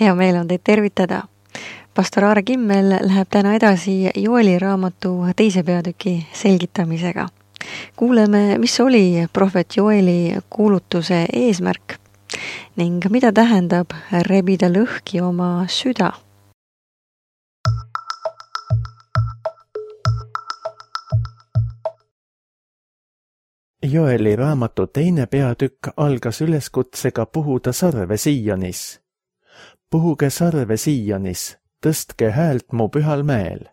Hea meel on teid tervitada. Pastor Aare Kimmel läheb täna edasi Joeli raamatu 2. peatüki selgitamisega. Kuuleme, mis oli prohvet Joeli kuulutuse eesmärk ning mida tähendab rebida lõhki oma süda. Joeli raamatu 2. peatükk algas üleskutsega puhuda sarve Sionis. Puhuge sarve Sionis, tõstke häält mu pühal mäel.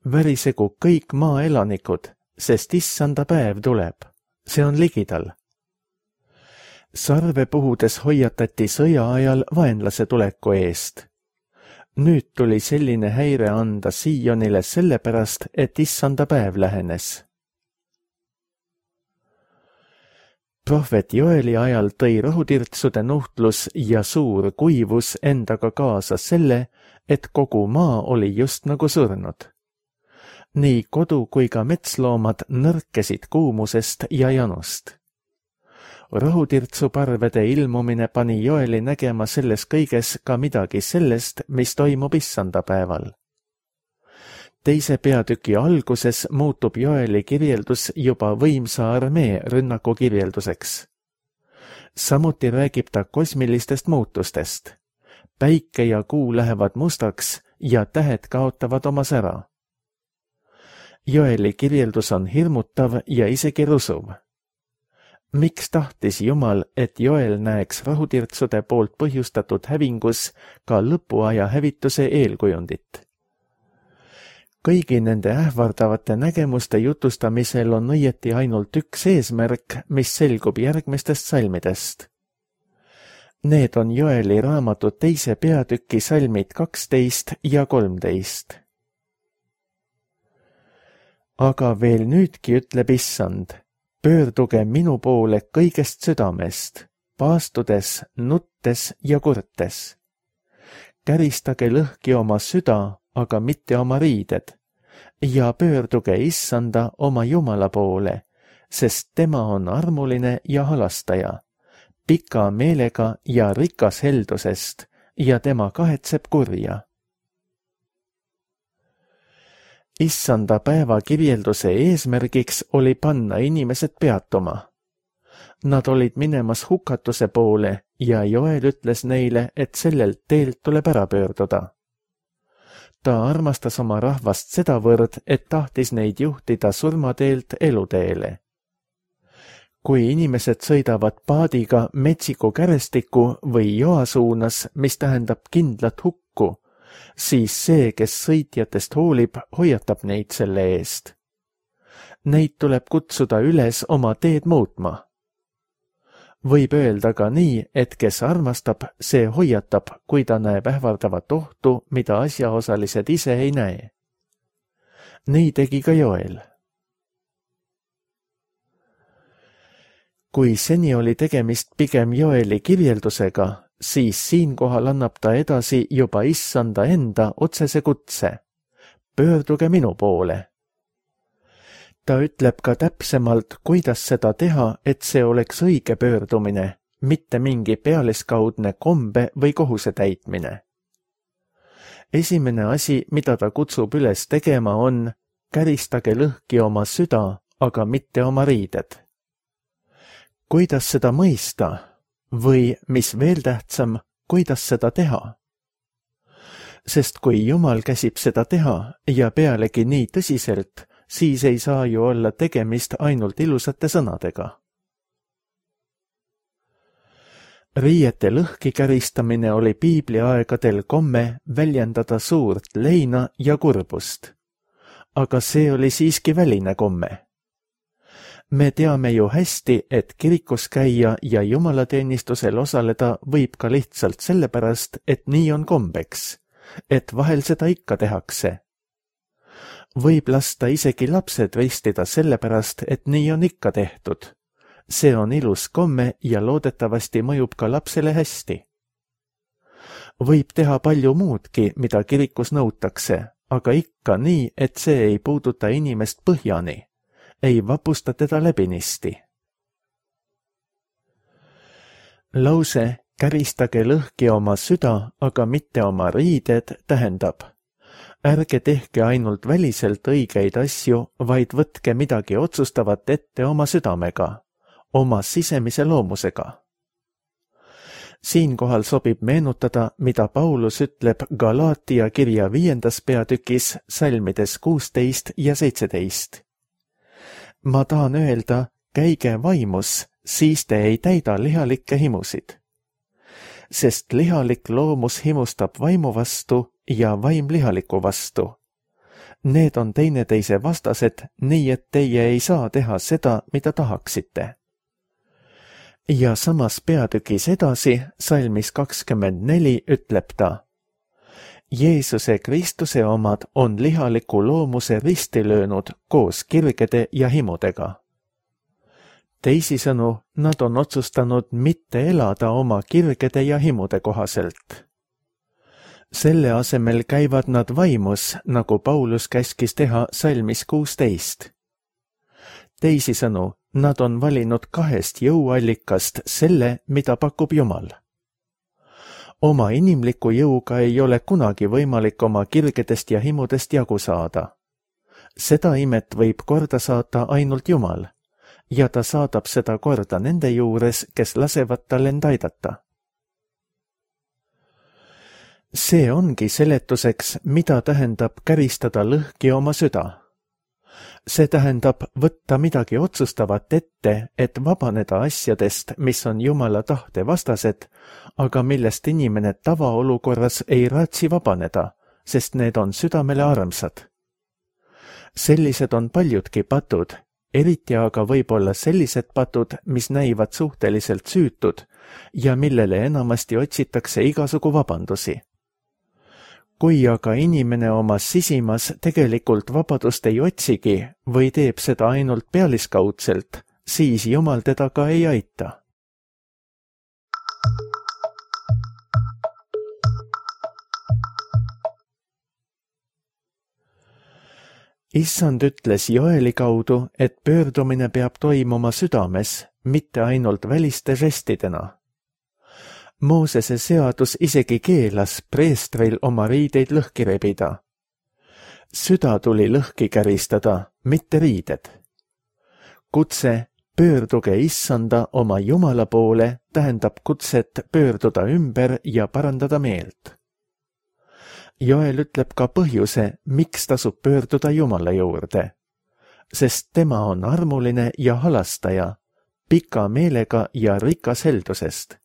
Värisegu kõik maa elanikud, sest issanda päev tuleb. See on ligidal. Sarve puhudes hoiatati sõja ajal vaenlase tuleku eest. Nüüd tuli selline häire anda Sionile sellepärast, et issanda päev lähenes. Prohvet Joeli ajal tõi rohutirtsude nuhtlus ja suur kuivus endaga kaasa selle, et kogu maa oli just nagu surnud. Nii kodu kui ka metsloomad nõrkesid kuumusest ja janust. Rohutirtsuparvede ilmumine pani Joeli nägema selles kõiges ka midagi sellest, mis toimub issanda päeval. 2. peatüki alguses muutub Joeli kirjeldus juba võimsa armee rünnaku kirjelduseks. Samuti räägib ta kosmilistest muutustest. Päike ja kuu lähevad mustaks ja tähed kaotavad oma sära. Joeli kirjeldus on hirmutav ja isegi rusuv. Miks tahtis Jumal, et Joel näeks rohutirtsude poolt põhjustatud hävingus ka lõpuaja hävituse eelkujundit? Kõigi nende ähvardavate nägemuste jutustamisel on õieti ainult üks eesmärk, mis selgub järgmistest salmidest. Need on Joeli raamatu 2. peatüki salmid 12 ja 13. Aga veel nüüdki ütleb issand, pöörduge minu poole kõigest südamest, paastudes, nuttes ja kurtes. Käristage lõhki oma süda, aga mitte oma riided, ja pöörduge issanda oma Jumala poole, sest tema on armuline ja halastaja, pika meelega ja rikas heldusest, ja tema kahetseb kurja. Issanda päeva kirjelduse eesmärgiks oli panna inimesed peatuma. Nad olid minemas hukatuse poole ja Joel ütles neile, et sellelt teelt tuleb ära pöörduda. Ta armastas oma rahvast sedavõrd, et tahtis neid juhtida surmateelt eluteele. Kui inimesed sõidavad paadiga metsiku kärestiku või joa suunas, mis tähendab kindlat hukku, siis see, kes sõitjatest hoolib, hoiatab neid selle eest. Neid tuleb kutsuda üles oma teed muutma. Võib öelda ka nii, et kes armastab, see hoiatab, kui ta näeb ähvardavat ohtu, mida asjaosalised ise ei näe. Nii tegi ka Joel. Kui seni oli tegemist pigem Joeli kirjeldusega, siis siinkohal annab ta edasi juba issanda enda otsese kutse. Pöörduge minu poole. Ta ütleb ka täpsemalt, kuidas seda teha, et see oleks õige pöördumine, mitte mingi pealiskaudne kombe või kohuse täitmine. Esimene asi, mida ta kutsub üles tegema, on käristage lõhki oma süda, aga mitte oma riided. Kuidas seda mõista? Või, mis veel tähtsam, kuidas seda teha? Sest kui Jumal käsib seda teha ja pealegi nii tõsiselt, siis ei saa ju olla tegemist ainult ilusate sõnadega. Riiete lõhki käristamine oli piibliaegadel komme väljendada suurt leina ja kurbust. Aga see oli siiski väline komme. Me teame ju hästi, et kirikus käia ja jumalateenistusel osaleda võib ka lihtsalt sellepärast, et nii on kombeks, et vahel seda ikka tehakse. Võib lasta isegi lapsed ristida sellepärast, et nii on ikka tehtud. See on ilus komme ja loodetavasti mõjub ka lapsele hästi. Võib teha palju muudki, mida kirikus nõutakse, aga ikka nii, et see ei puuduta inimest põhjani, ei vapusta teda läbinisti. Lause käristage lõhki oma süda, aga mitte oma riided, tähendab: ärge tehke ainult väliselt õigeid asju, vaid võtke midagi otsustavat ette oma südamega, oma sisemise loomusega. Siinkohal sobib meenutada, mida Paulus ütleb Galaatia kirja 5. peatükis salmides 16 ja 17. Ma tahan öelda, käige vaimus, siis te ei täida lihalikke himusid. Sest lihalik loomus himustab vaimu vastu ja vaim lihaliku vastu. Need on teineteise vastased, nii et teie ei saa teha seda, mida tahaksite. Ja samas peatükis edasi, salmis 24 ütleb ta: Jeesuse Kristuse omad on lihaliku loomuse risti löönud koos kirgede ja himudega. Teisisõnu, nad on otsustanud mitte elada oma kirgede ja himude kohaselt. Selle asemel käivad nad vaimus, nagu Paulus käskis teha salmis 16. Teisisõnu, nad on valinud 2 jõuallikast selle, mida pakub Jumal. Oma inimliku jõuga ei ole kunagi võimalik oma kirgedest ja himudest jagu saada. Seda imet võib korda saata ainult Jumal, ja ta saadab seda korda nende juures, kes lasevad tal end aidata. See ongi seletuseks, mida tähendab käristada lõhki oma süda. See tähendab võtta midagi otsustavat ette, et vabaneda asjadest, mis on Jumala tahte vastased, aga millest inimene tavaolukorras ei raatsi vabaneda, sest need on südamele armsad. Sellised on paljudki patud, eriti aga võib olla sellised patud, mis näivad suhteliselt süütud ja millele enamasti otsitakse igasugu vabandusi. Kui aga inimene oma sisimas tegelikult vabadust ei otsigi või teeb seda ainult pealiskaudselt, siis Jumal teda ka ei aita. Issand ütles Joeli kaudu, et pöördumine peab toimuma südames, mitte ainult väliste žestidena. Moosese seadus isegi keelas preestril oma riideid lõhki rebida. Süda tuli lõhki käristada, mitte riided. Kutse pöörduge Issanda oma Jumala poole tähendab kutset pöörduda ümber ja parandada meelt. Joel ütleb ka põhjuse, miks tasub pöörduda Jumala juurde, sest tema on armuline ja halastaja, pika meelega ja rikas heldusest.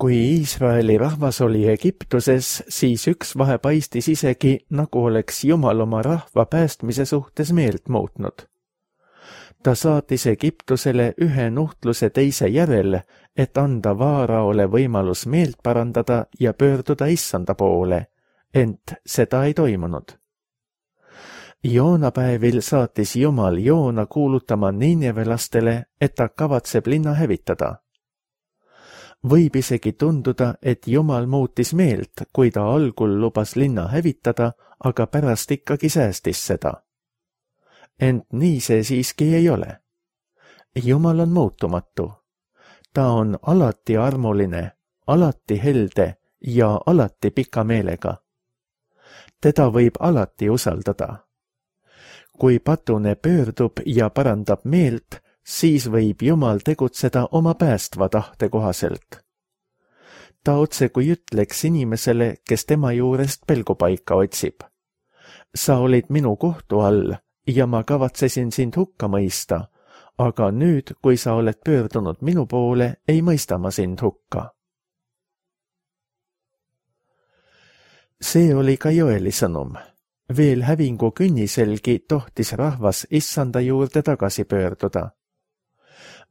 Kui Iisraeli rahvas oli Egiptuses, siis üks vahe paistis isegi, nagu oleks Jumal oma rahva päästmise suhtes meelt muutnud. Ta saatis Egiptusele ühe nuhtluse teise järel, et anda Vaaraole võimalus meelt parandada ja pöörduda Issanda poole, ent seda ei toimunud. Joonapäevil saatis Jumal Joona kuulutama niinevelastele, et ta kavatseb linna hävitada. Võib isegi tunduda, et Jumal muutis meelt, kui ta algul lubas linna hävitada, aga pärast ikkagi säästis seda. Ent nii see siiski ei ole. Jumal on muutumatu. Ta on alati armuline, alati helde ja alati pika meelega. Teda võib alati usaldada. Kui patune pöördub ja parandab meelt, siis võib Jumal tegutseda oma päästva tahte kohaselt. Ta otse kui ütleks inimesele, kes tema juurest pelgupaika otsib. Sa olid minu kohtu all ja ma kavatsesin sind hukka mõista, aga nüüd, kui sa oled pöördunud minu poole, ei mõista ma sind hukka. See oli ka Joeli sõnum. Veel hävingu künniselgi tohtis rahvas Issanda juurde tagasi pöörduda.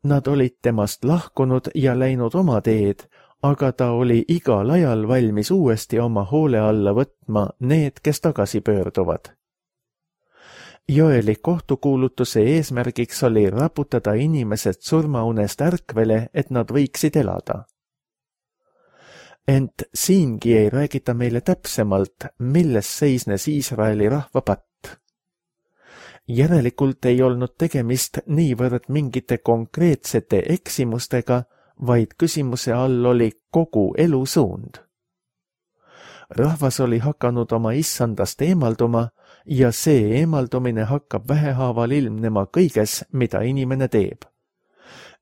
Nad olid temast lahkunud ja läinud oma teed, aga ta oli igal ajal valmis uuesti oma hoole alla võtma need, kes tagasi pöörduvad. Joeli kohtukuulutuse eesmärgiks oli raputada inimesed surmaunest ärkvele, et nad võiksid elada. Ent siingi ei räägita meile täpsemalt, milles seisnes Iisraeli rahva patt. Järelikult ei olnud tegemist niivõrd mingite konkreetsete eksimustega, vaid küsimuse all oli kogu elusuund. Rahvas oli hakanud oma issandast eemalduma ja see eemaldumine hakkab vähehaaval ilmnema kõiges, mida inimene teeb.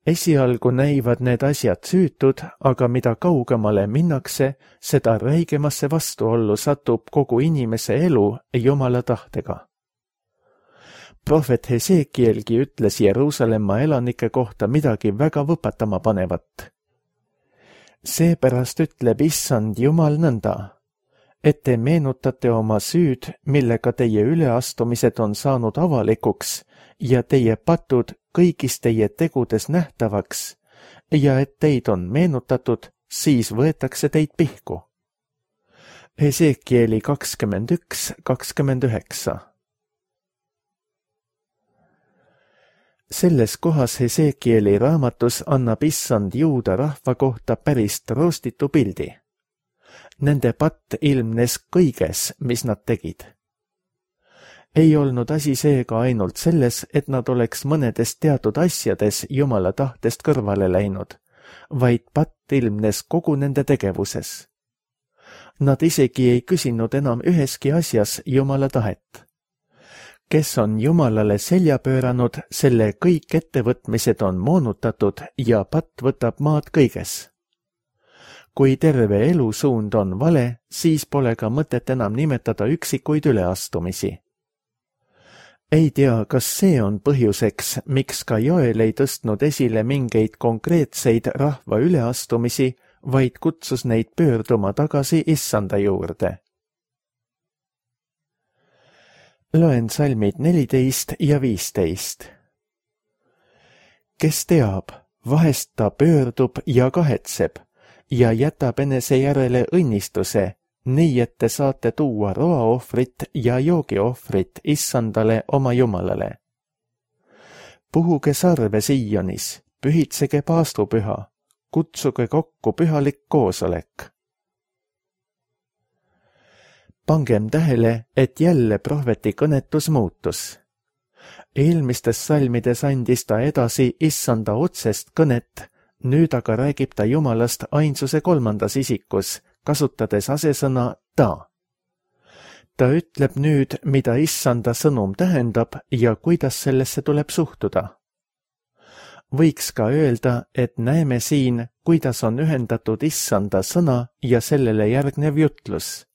Esialgu näivad need asjad süütud, aga mida kaugemale minnakse, seda räigemasse vastuollu satub kogu inimese elu Jumala tahtega. Prohvet Hesekielgi ütles Jeruusalemma elanike kohta midagi väga võpatama panevat. Seepärast ütleb issand Jumal nõnda, et te meenutate oma süüd, millega teie üleastumised on saanud avalikuks ja teie patud kõigis teie tegudes nähtavaks ja et teid on meenutatud, siis võetakse teid pihku. Hesekieli 21:29. Selles kohas Hesekieli raamatus annab issand juuda rahva kohta päris roostitu pildi. Nende patt ilmnes kõiges, mis nad tegid. Ei olnud asi seega ainult selles, et nad oleks mõnedes teatud asjades Jumala tahtest kõrvale läinud, vaid patt ilmnes kogu nende tegevuses. Nad isegi ei küsinud enam üheski asjas Jumala tahet. Kes on Jumalale selja pööranud, selle kõik ettevõtmised on moonutatud ja patt võtab maad kõiges. Kui terve elusuund on vale, siis pole ka mõtet enam nimetada üksikuid üleastumisi. Ei tea, kas see on põhjuseks, miks ka Joel ei tõstnud esile mingeid konkreetseid rahva üleastumisi, vaid kutsus neid pöörduma tagasi issanda juurde. Loen salmid 14 ja 15. Kes teab, vahest ta pöördub ja kahetseb ja jätab enese järele õnnistuse, nii et te saate tuua roaohvrit ja joogiohvrit issandale oma Jumalale. Puhuge sarve Sionis, pühitsege paastupüha, kutsuge kokku pühalik koosolek. Pangem tähele, et jälle prohveti kõnetus muutus. Eelmistes salmides andis ta edasi issanda otsest kõnet, nüüd aga räägib ta Jumalast ainsuse kolmandas isikus, kasutades asesõna ta. Ta ütleb nüüd, mida issanda sõnum tähendab ja kuidas sellesse tuleb suhtuda. Võiks ka öelda, et näeme siin, kuidas on ühendatud issanda sõna ja sellele järgnev jutlus.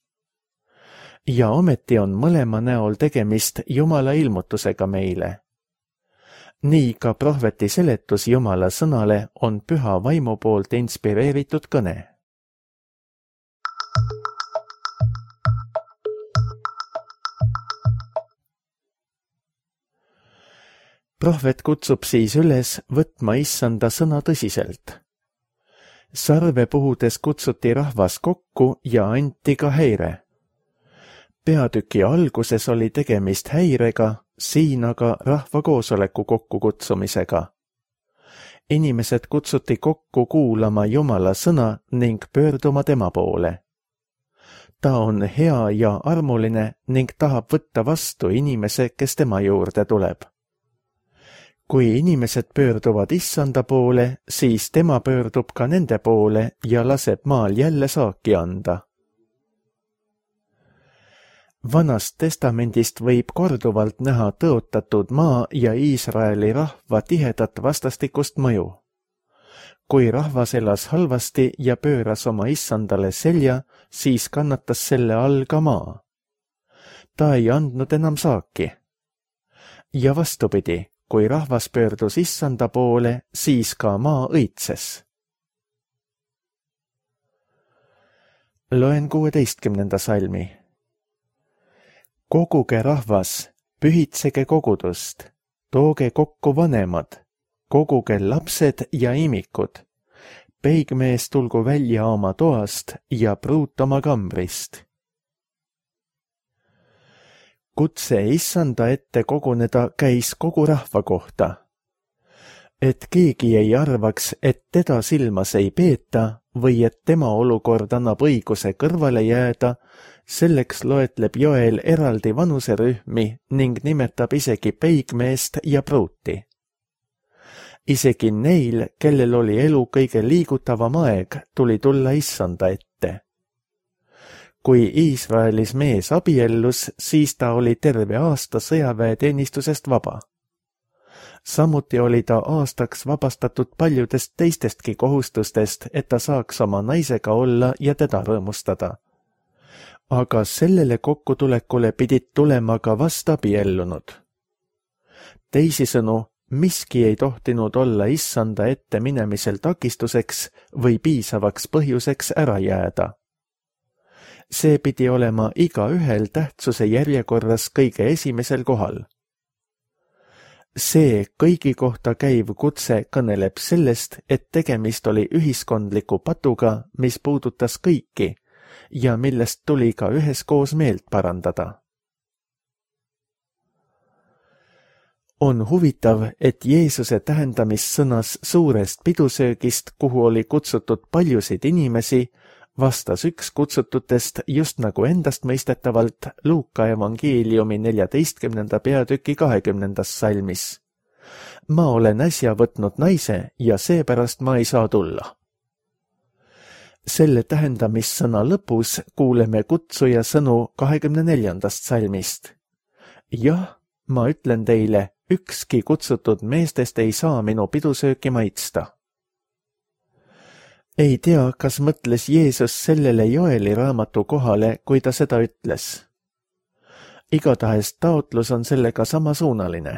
Ja ometi on mõlema näol tegemist Jumala ilmutusega meile. Nii ka prohveti seletus Jumala sõnale on püha vaimu poolt inspireeritud kõne. Prohvet kutsub siis üles võtma issanda sõna tõsiselt. Sarve puhudes kutsuti rahvas kokku ja anti ka häire. Peatüki alguses oli tegemist häirega, siin aga rahva koosoleku kokkukutsumisega. Inimesed kutsuti kokku kuulama Jumala sõna ning pöörduma tema poole. Ta on hea ja armuline ning tahab võtta vastu inimese, kes tema juurde tuleb. Kui inimesed pöörduvad issanda poole, siis tema pöördub ka nende poole ja laseb maal jälle saaki anda. Vanast testamendist võib korduvalt näha tõotatud maa ja Iisraeli rahva tihedat vastastikust mõju. Kui rahvas elas halvasti ja pööras oma issandale selja, siis kannatas selle all ka maa. Ta ei andnud enam saaki. Ja vastupidi, kui rahvas pöördus issanda poole, siis ka maa õitses. Loen 16. salmi. Koguge rahvas, pühitsege kogudust, tooge kokku vanemad, koguge lapsed ja imikud, peigmees tulgu välja oma toast ja pruut oma kambrist. Kutse issanda ette koguneda käis kogu rahva kohta. Et keegi ei arvaks, et teda silmas ei peeta või et tema olukord annab õiguse kõrvale jääda, selleks loetleb Joel eraldi vanuserühmi ning nimetab isegi peigmeest ja pruuti. Isegi neil, kellel oli elu kõige liigutavam aeg, tuli tulla Issanda ette. Kui Iisraelis mees abiellus, siis ta oli terve aasta sõjaväeteenistusest vaba. Samuti oli ta aastaks vabastatud paljudest teistestki kohustustest, et ta saaks oma naisega olla ja teda rõõmustada. Aga sellele kokkutulekule pidid tulema ka vastabiellunud. Teisisõnu, miski ei tohtinud olla Issanda ette minemisel takistuseks või piisavaks põhjuseks ära jääda. See pidi olema igaühel tähtsuse järjekorras kõige esimesel kohal. See kõigi kohta käiv kutse kõneleb sellest, et tegemist oli ühiskondliku patuga, mis puudutas kõiki ja millest tuli ka üheskoos meelt parandada. On huvitav, et Jeesuse tähendamissõnas suurest pidusöögist, kuhu oli kutsutud paljusid inimesi, vastas üks kutsututest just nagu endastmõistetavalt Luuka evangeeliumi 14. peatüki 20. salmis. Ma olen äsja võtnud naise ja seepärast ma ei saa tulla. Selle tähendamissõna lõpus kuuleme kutsuja sõnu 24. salmist. Jah, ma ütlen teile, ükski kutsutud meestest ei saa minu pidusööki maitsta. Ei tea, kas mõtles Jeesus sellele Joeli raamatu kohale, kui ta seda ütles. Igatahes taotlus on sellega samasuunaline.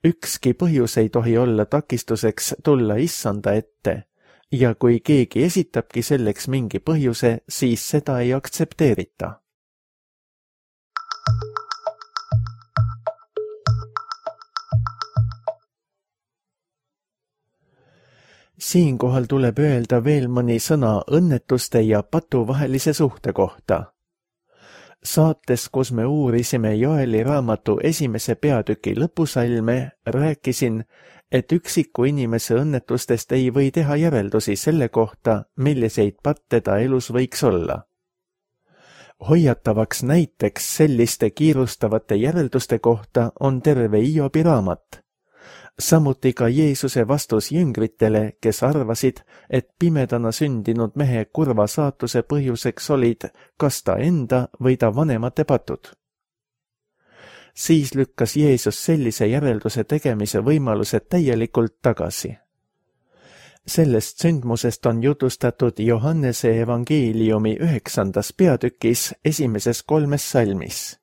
Ükski põhjus ei tohi olla takistuseks tulla Issanda ette ja kui keegi esitabki selleks mingi põhjuse, siis seda ei aktsepteerita. Siinkohal tuleb öelda veel mõni sõna õnnetuste ja patu vahelise suhte kohta. Saates, kus me uurisime Joeli raamatu 1. peatüki lõpusalme, rääkisin, et üksiku inimese õnnetustest ei või teha järeldusi selle kohta, milliseid patte ta elus võiks olla. Hoiatavaks näiteks selliste kiirustavate järelduste kohta on terve Hiobi raamat. Samuti ka Jeesuse vastus jüngritele, kes arvasid, et pimedana sündinud mehe kurva saatuse põhjuseks olid kas ta enda või ta vanemate patud. Siis lükkas Jeesus sellise järelduse tegemise võimaluse täielikult tagasi. Sellest sündmusest on jutustatud Johannese evangeeliumi 9. peatükis 1. salmis.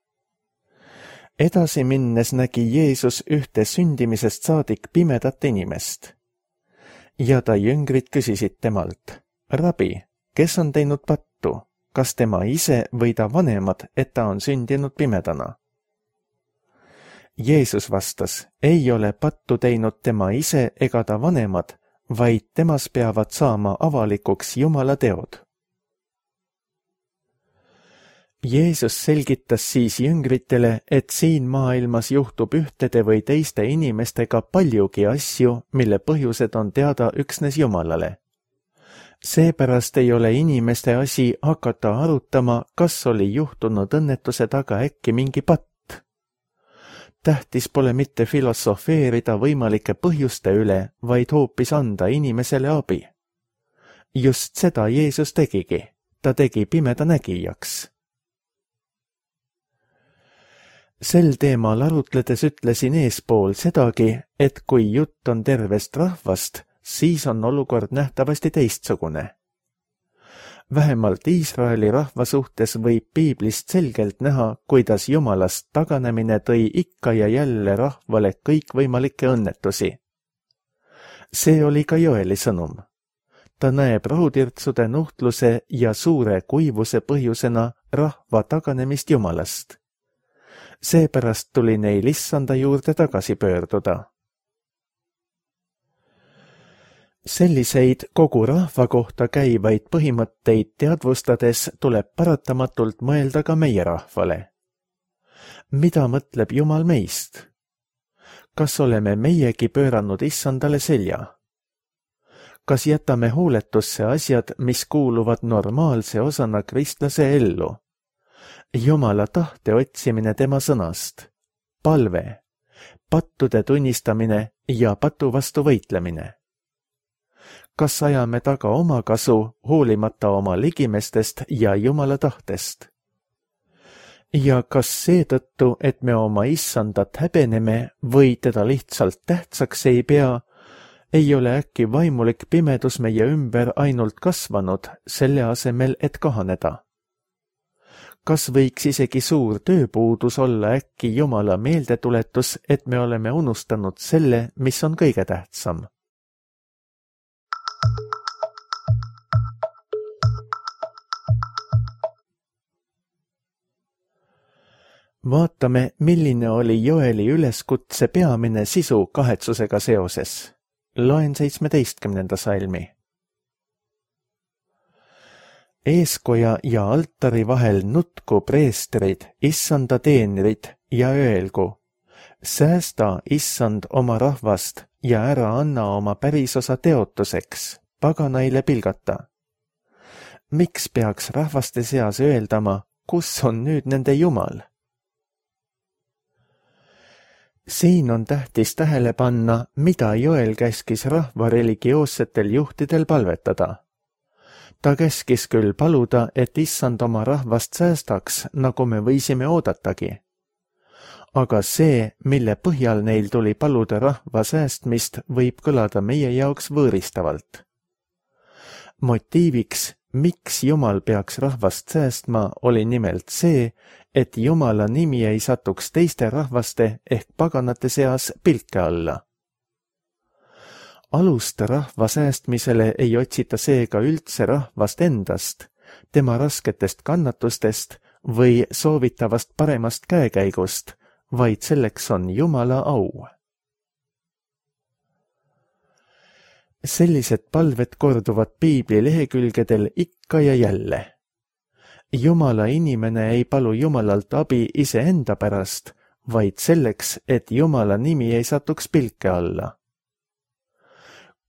Edasi minnes nägi Jeesus ühte sündimisest saadik pimedat inimest. Ja ta jüngrid küsisid temalt, Rabi, kes on teinud pattu, kas tema ise või ta vanemad, et ta on sündinud pimedana? Jeesus vastas, ei ole pattu teinud tema ise ega ta vanemad, vaid temas peavad saama avalikuks Jumala teod. Jeesus selgitas siis jüngritele, et siin maailmas juhtub ühtede või teiste inimestega paljugi asju, mille põhjused on teada üksnes Jumalale. Seepärast ei ole inimeste asi hakata arutama, kas oli juhtunud õnnetuse taga äkki mingi patt. Tähtis pole mitte filosofeerida võimalike põhjuste üle, vaid hoopis anda inimesele abi. Just seda Jeesus tegigi, ta tegi pimeda nägijaks. Sel teemal arutledes ütlesin eespool sedagi, et kui jutt on tervest rahvast, siis on olukord nähtavasti teistsugune. Vähemalt Iisraeli rahva suhtes võib piiblist selgelt näha, kuidas Jumalast taganemine tõi ikka ja jälle rahvale kõikvõimalikke õnnetusi. See oli ka Joeli sõnum. Ta näeb rahutirtsude nuhtluse ja suure kuivuse põhjusena rahva taganemist Jumalast. Seepärast tuli neil Issanda juurde tagasi pöörduda. Selliseid kogu rahva kohta käivaid põhimõtteid teadvustades tuleb paratamatult mõelda ka meie rahvale. Mida mõtleb Jumal meist? Kas oleme meiegi pööranud Issandale selja? Kas jätame hooletusse asjad, mis kuuluvad normaalse osana kristlase ellu? Jumala tahte otsimine tema sõnast, palve, pattude tunnistamine ja patu vastu võitlemine. Kas ajame taga oma kasu, hoolimata oma ligimestest ja Jumala tahtest? Ja kas seetõttu, et me oma issandat häbeneme või teda lihtsalt tähtsaks ei pea, ei ole äkki vaimulik pimedus meie ümber ainult kasvanud, selle asemel, et kahaneda? Kas võiks isegi suur tööpuudus olla äkki Jumala meeldetuletus, et me oleme unustanud selle, mis on kõige tähtsam? Vaatame, milline oli Joeli üleskutse peamine sisu kahetsusega seoses. Loen 17. salmi. Eeskoja ja altari vahel nutku preestrid, issanda teenrid ja öelgu, säästa issand oma rahvast ja ära anna oma pärisosa teotuseks, paganaile pilgata. Miks peaks rahvaste seas öeldama, kus on nüüd nende Jumal? Siin on tähtis tähele panna, mida Joel käskis rahva religioossetel juhtidel palvetada. Ta käskis küll paluda, et issand oma rahvast säästaks, nagu me võisime oodatagi. Aga see, mille põhjal neil tuli paluda rahva säästmist, võib kõlada meie jaoks võõristavalt. Motiiviks, miks Jumal peaks rahvast säästma, oli nimelt see, et Jumala nimi ei satuks teiste rahvaste ehk paganate seas pilke alla. Alust rahva säästmisele ei otsita seega üldse rahvast endast, tema rasketest kannatustest või soovitavast paremast käekäigust, vaid selleks on Jumala au. Sellised palved korduvad piibli lehekülgedel ikka ja jälle. Jumala inimene ei palu Jumalalt abi iseenda pärast, vaid selleks, et Jumala nimi ei satuks pilke alla.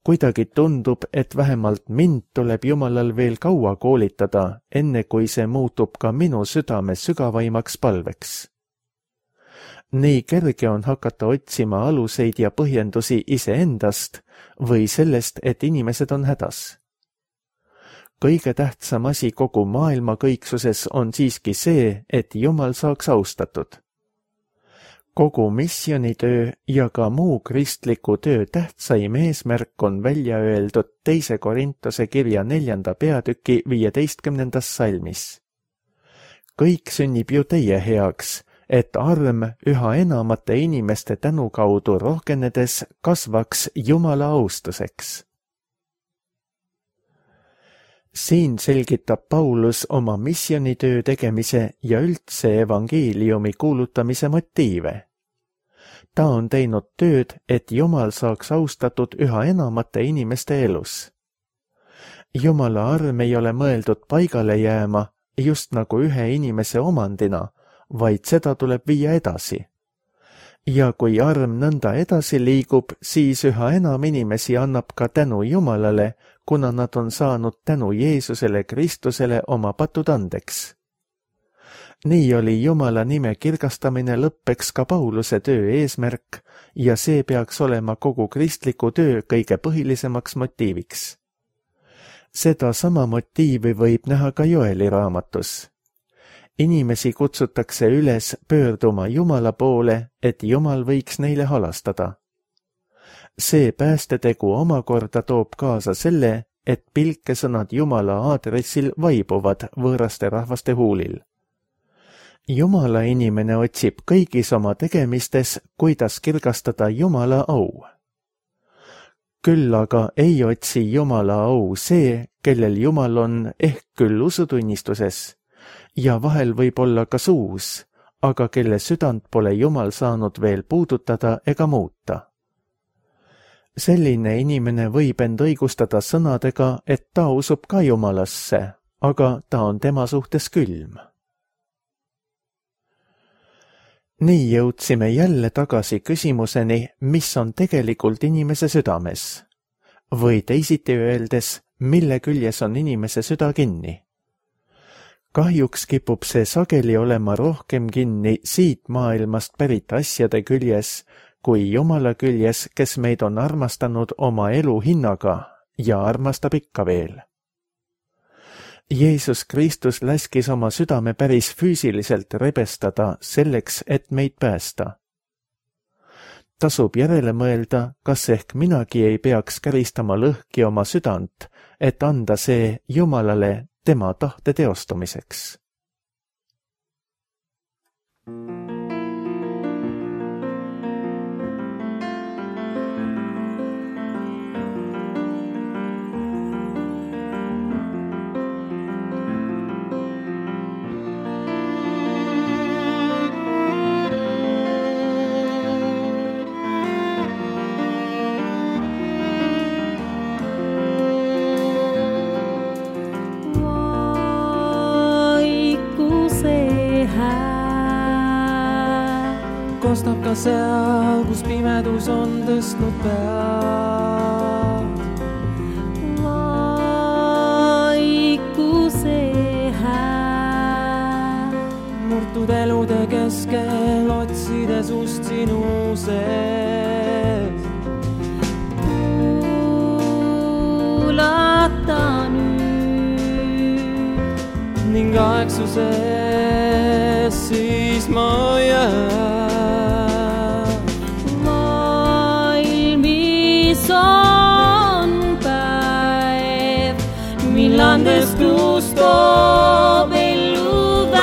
Kuidagi tundub, et vähemalt mind tuleb Jumalal veel kaua koolitada, enne kui see muutub ka minu südame sügavaimaks palveks. Nii kerge on hakata otsima aluseid ja põhjendusi iseendast või sellest, et inimesed on hädas. Kõige tähtsam asi kogu maailma kõiksuses on siiski see, et Jumal saaks austatud. Kogu missioonitöö ja ka muu kristliku töö tähtsaim eesmärk on välja öeldud 2. Korintuse kirja 4. peatüki 15. salmis. Kõik sünnib ju teie heaks, et arm üha enamate inimeste tänu kaudu rohkenedes kasvaks Jumala austuseks. Siin selgitab Paulus oma missioonitöö tegemise ja üldse evangeeliumi kuulutamise motiive. Ta on teinud tööd, et Jumal saaks austatud üha enamate inimeste elus. Jumala arm ei ole mõeldud paigale jääma, just nagu ühe inimese omandina, vaid seda tuleb viia edasi. Ja kui arm nõnda edasi liigub, siis üha enam inimesi annab ka tänu Jumalale, kuna nad on saanud tänu Jeesusele Kristusele oma patud andeks. Nii oli Jumala nime kirgastamine lõppeks ka Pauluse töö eesmärk ja see peaks olema kogu kristliku töö kõige põhilisemaks motiiviks. Seda sama motiivi võib näha ka Joeli raamatus. Inimesi kutsutakse üles pöörduma Jumala poole, et Jumal võiks neile halastada. See päästetegu omakorda toob kaasa selle, et pilkesõnad Jumala aadressil vaibuvad võõraste rahvaste huulil. Jumala inimene otsib kõigis oma tegemistes, kuidas kirgastada Jumala au. Küll aga ei otsi Jumala au see, kellel Jumal on ehk küll usutunnistuses, ja vahel võib olla ka suus, aga kelle südant pole Jumal saanud veel puudutada ega muuta. Selline inimene võib end õigustada sõnadega, et ta usub ka Jumalasse, aga ta on tema suhtes külm. Nii jõudsime jälle tagasi küsimuseni, mis on tegelikult inimese südames. Või teisiti öeldes, mille küljes on inimese süda kinni. Kahjuks kipub see sageli olema rohkem kinni siit maailmast pärit asjade küljes, kui Jumala küljes, kes meid on armastanud oma elu hinnaga ja armastab ikka veel. Jeesus Kristus läskis oma südame päris füüsiliselt rebestada selleks, et meid päästa. Tasub järele mõelda, kas ehk minagi ei peaks käristama lõhki oma südant, et anda see Jumalale tema tahte teostamiseks. Kostab ka seal, kus pimedus on tõstnud pead. Vaikuse hääl. Murtud elude keskel otsides ust sinu sees. Kuulata nüüd. Ning aegsuses siis ma jään. On päev, millandes tuus toob ellu väe.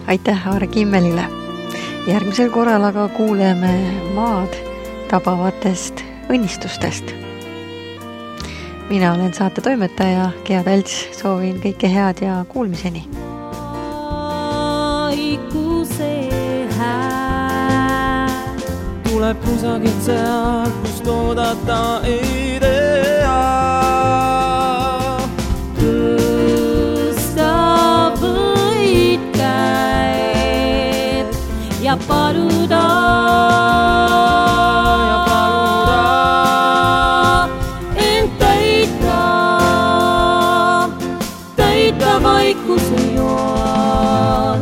Aitäh Aare Kimmelile. Järgmisel korral aga kuuleme maad tabavatest õnnistustest. Mina olen saate toimetaja Gea Tälts, soovin kõike head ja kuulmiseni. Vaikuse hääl tuleb kusagilt sealt, kust oodata ei tea. Tõsta võid käed ja paluda. Vaikuse joon.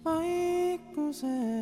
Vaikuse